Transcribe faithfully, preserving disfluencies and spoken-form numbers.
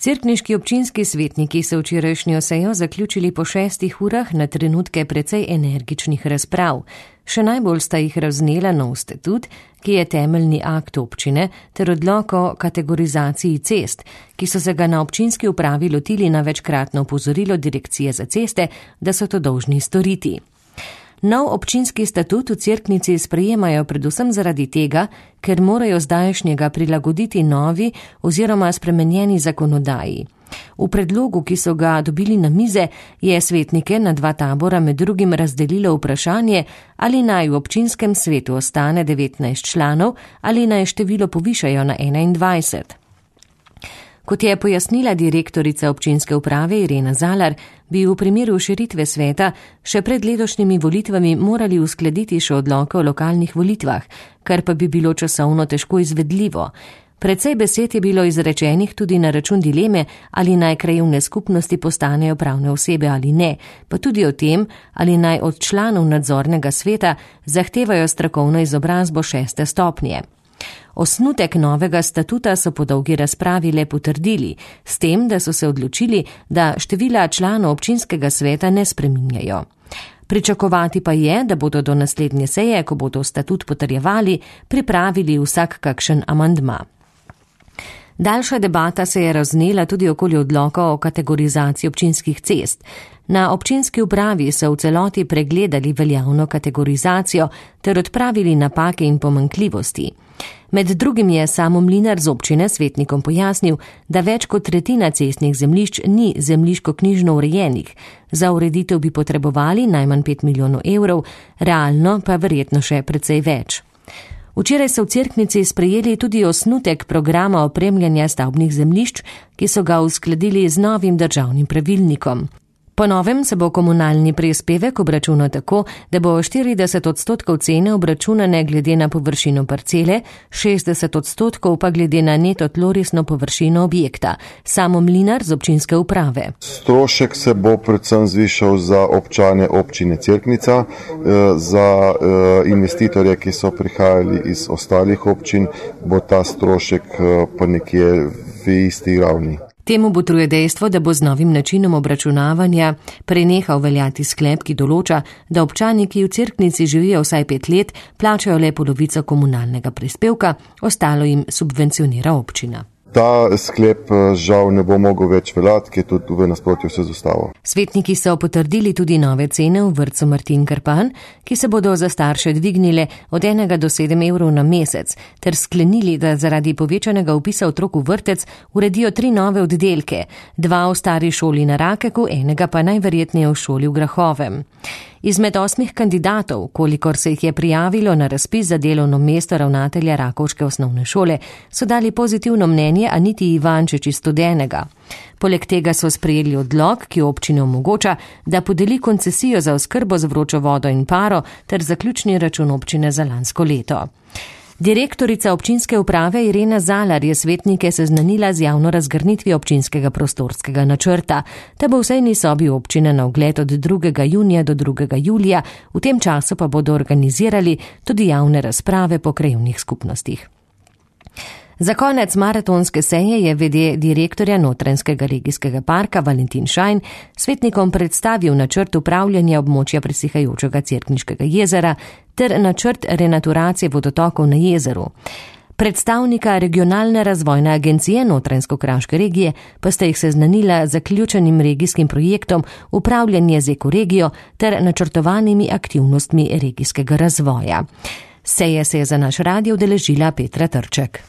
Cerkniški občinski svetniki so včerajšnjo sejo zaključili po šestih urah na trenutke precej energičnih razprav. Še najbolj sta jih raznela nov statut, ki je temeljni akt občine, ter odlok o kategorizaciji cest, ki so se ga na občinski upravi lotili na večkratno opozorilo Direkcije za ceste, da so to dolžni storiti. Nov občinski statut v Cerknici sprejemajo predvsem zaradi tega, ker morajo zdajšnjega prilagoditi novi oziroma spremenjeni zakonodaji. V predlogu, ki so ga dobili na mize, je svetnike na dva tabora med drugim razdelilo vprašanje, ali naj v občinskem svetu ostane devetnajst članov ali naj število povišajo na enaindvajset. Kot je pojasnila direktorica občinske uprave Irena Zalar, bi v primeru širitve sveta še pred letošnjimi volitvami morali uskladiti še odloke o lokalnih volitvah, kar pa bi bilo časovno težko izvedljivo. Precej besed je bilo izrečenih tudi na račun dileme, ali naj krajevne skupnosti postanejo pravne osebe ali ne, pa tudi o tem, ali naj od članov nadzornega sveta zahtevajo strokovno izobrazbo šeste stopnje. Osnutek novega statuta so po dolgi razpravi le potrdili, s tem, da so se odločili, da števila članov občinskega sveta ne spreminjajo. Pričakovati pa je, da bodo do naslednje seje, ko bodo statut potrjevali, pripravili vsak kakšen amandma. Daljša debata se je raznela tudi okoli odloka o kategorizaciji občinskih cest. Na občinski upravi so v celoti pregledali veljavno kategorizacijo ter odpravili napake in pomanjkljivosti. Med drugim je Samo Mlinar z občine svetnikom pojasnil, da več kot tretjina cestnih zemljišč ni zemljiško-knjižno urejenih. Za ureditev bi potrebovali najmanj pet milijonov evrov, realno pa verjetno še precej več. Včeraj so v Cerknici sprejeli tudi osnutek programa opremljanja stavbnih zemljišč, ki so ga uskladili z novim državnim pravilnikom. Po novem se bo komunalni prispevek obračunal tako, da bo štirideset odstotkov cene obračunane glede na površino parcele, šestdeset odstotkov pa glede na neto tlorisno površino objekta. Samo Mlinar z občinske uprave. Strošek se bo predvsem zvišal za občane občine Cerknica, za investitorje, ki so prihajali iz ostalih občin, bo ta strošek pa nekje v isti ravni. Temu botruje dejstvo, da bo z novim načinom obračunavanja prenehal veljati sklep, ki določa, da občani, ki v Cerknici živijo vsaj pet let, plačajo le polovico komunalnega prispevka, ostalo jim subvencionira občina. Ta sklep žal ne bo mogel več veljati, ki je tudi v nasprotju z ustavo. Svetniki so potrdili tudi nove cene v vrtcu Martin Krpan, ki se bodo za starše dvignile od enega do sedem evrov na mesec, ter sklenili, da zaradi povečanega vpisa otrok v vrtec uredijo tri nove oddelke, dva v stari šoli na Rakeku, enega pa najverjetneje v šoli v Grahovem. Izmed osmih kandidatov, kolikor se jih je prijavilo na razpis za delovno mesto ravnatelja rakovške osnovne šole, so dali pozitivno mnenje Aniti Ivančič iz Studenega. Poleg tega so sprejeli odlok, ki občini omogoča, da podeli koncesijo za oskrbo z vročo vodo in paro ter zaključni račun občine za lansko leto. Direktorica občinske uprave Irena Zalar je svetnike seznanila z javno razgrnitvijo občinskega prostorskega načrta. Ta bo v sejni sobi občine na ogled od drugega junija do drugega julija, v tem času pa bodo organizirali tudi javne razprave po krajevnih skupnostih. Za konec maratonske seje je v d direktorja Notranjskega regijskega parka Valentin Šajn svetnikom predstavil načrt upravljanja območja presihajočega Cerkniškega jezera ter načrt renaturacije vodotokov na jezeru. Predstavnika regionalne razvojne agencije Notranjsko-kraške regije pa sta jih seznanila z zaključenim regijskim projektom upravljanje z ekoregijo ter načrtovanimi aktivnostmi regijskega razvoja. Seje se je za naš radio udeležila Petra Trček.